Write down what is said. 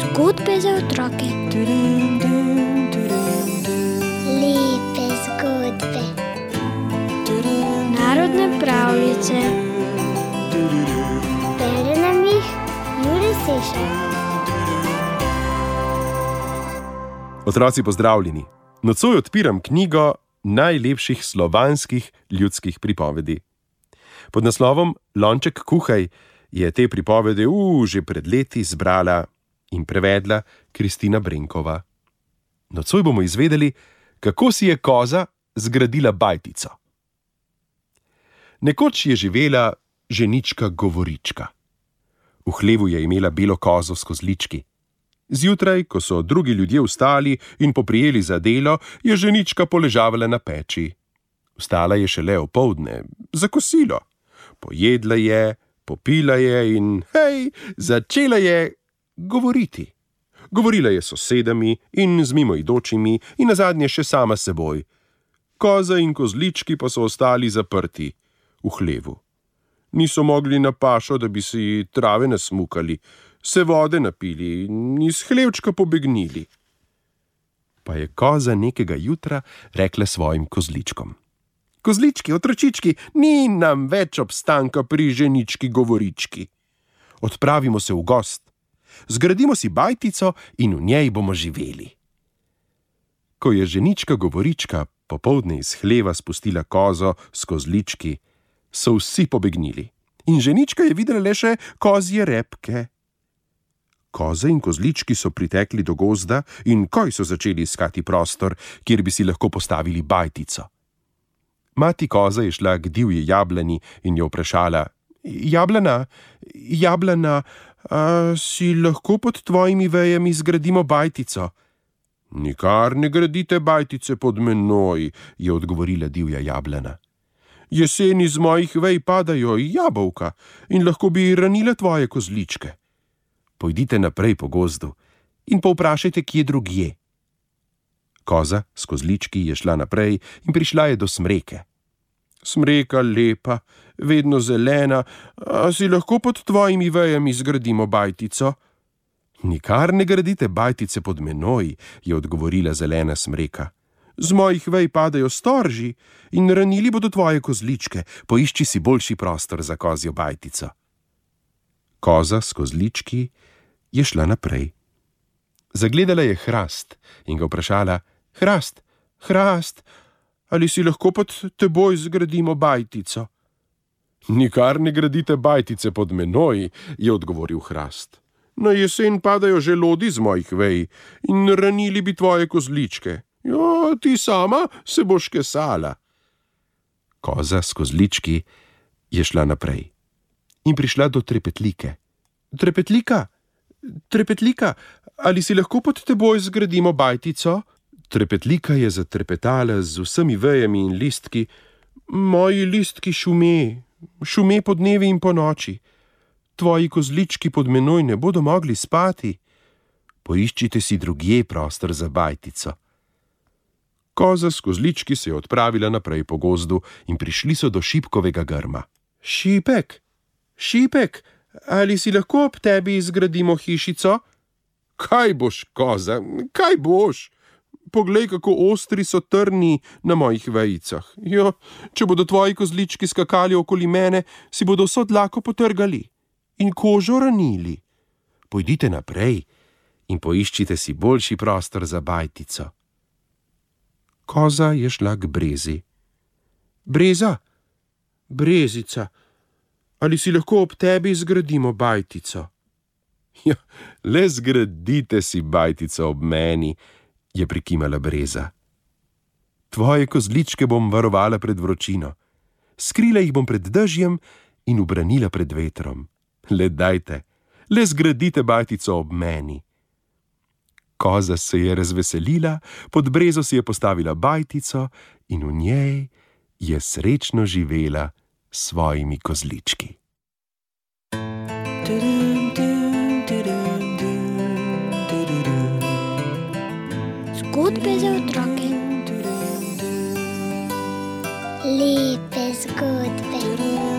Zgodbe za otroke. Lepe zgodbe. Narodne pravljice. Bere nam jih Jure Sešar. Otroci, pozdravljeni! Nocoj odpiram knjigo najlepših slovanskih ljudskih pripovedi. Pod naslovom Lonček kuhaj je te pripovedi že pred leti zbrala in prevedla Kristina Brenkova. Nocoj bomo izvedeli, kako si je koza zgradila bajtico. Nekoč je živela ženička Govorička. V hlevu je imela belo kozo s kozlički. Zjutraj, ko so drugi ljudje vstali in poprijeli za delo, je ženička poležavala na peči. Vstala je šele opoldne, za kosilo. Pojedla je, popila je in, začela je govoriti. Govorila je s sosedami in z mimoidočimi in nazadnje še sama s seboj. Koza in kozlički pa so ostali zaprti v hlevu. Niso mogli na pašo, da bi si trave nasmukali, se vode napili in iz hlevčka pobegnili. Pa je koza nekega jutra rekla svojim kozličkom: Kozlički, otročički, ni nam več obstanka pri ženički Govorički. Odpravimo se v gost, zgradimo si bajtico in v njej bomo živeli. Ko je ženička Govorička popoldne iz hleva spustila kozo s kozlički, so vsi pobegnili in ženička je videla le še kozje repke. Koze in kozlički so pritekli do gozda in koj so začeli iskati prostor, kjer bi si lahko postavili bajtico. Mati koza je šla k divji jablani in jo vprašala: Jablana, si lahko pod tvojimi vejami zgradimo bajtico? Nikar ne gradite bajtice pod menoj, je odgovorila divja jablana. Jeseni z mojih vej padajo jabolka in lahko bi ranile tvoje kozličke. Pojdite naprej po gozdu in povprašajte, kje drugje. Koza s kozlički je šla naprej in prišla je do smreke. Smreka lepa, vedno zelena, a si lahko pod tvojimi vejami zgradimo bajtico? Nikar ne gradite bajtice pod menoj, je odgovorila zelena smreka. Z mojih vej padajo storži in ranili bodo tvoje kozličke, poišči si boljši prostor za kozjo bajtico. Koza s kozlički je šla naprej. Zagledala je hrast in ga vprašala: Hrast, ali si lahko pod teboj zgradimo bajtico? Nikar ne gradite bajtice pod menoj, je odgovoril hrast. Na jesen padajo želodi z mojih vej in ranili bi tvoje kozličke. Ti sama se boš kesala. Koza s kozlički je šla naprej in prišla do trepetlike. Trepetlika, ali si lahko pod teboj zgradimo bajtico? Trepetlika je zatrepetala z vsemi vejami in listki. Moji listki šume po dnevi in po noči. Tvoji kozlički pod menoj ne bodo mogli spati. Poiščite si drugje prostor za bajtico. Koza s kozlički se je odpravila naprej po gozdu in prišli so do šipkovega grma. Šipek, ali si lahko ob tebi zgradimo hišico? Kaj boš, koza, kaj boš? Poglej, kako ostri so trni na mojih vejicah. Če bodo tvoji kozlički skakali okoli mene, si bodo vso dlako potrgali in kožo ranili. Pojdite naprej in poiščite si boljši prostor za bajtico. Koza je šla k brezi. Brezica, ali si lahko ob tebi zgradimo bajtico? Le zgradite si bajtico ob meni, je prikimala breza. Tvoje kozličke bom varovala pred vročino, skrila jih bom pred dežjem in ubranila pred vetrom. Le dajte, le zgradite bajtico ob meni. Koza se je razveselila, pod brezo si je postavila bajtico in v njej je srečno živela s svojimi kozlički. Zgodbe za otroke. Lepe zgodbe.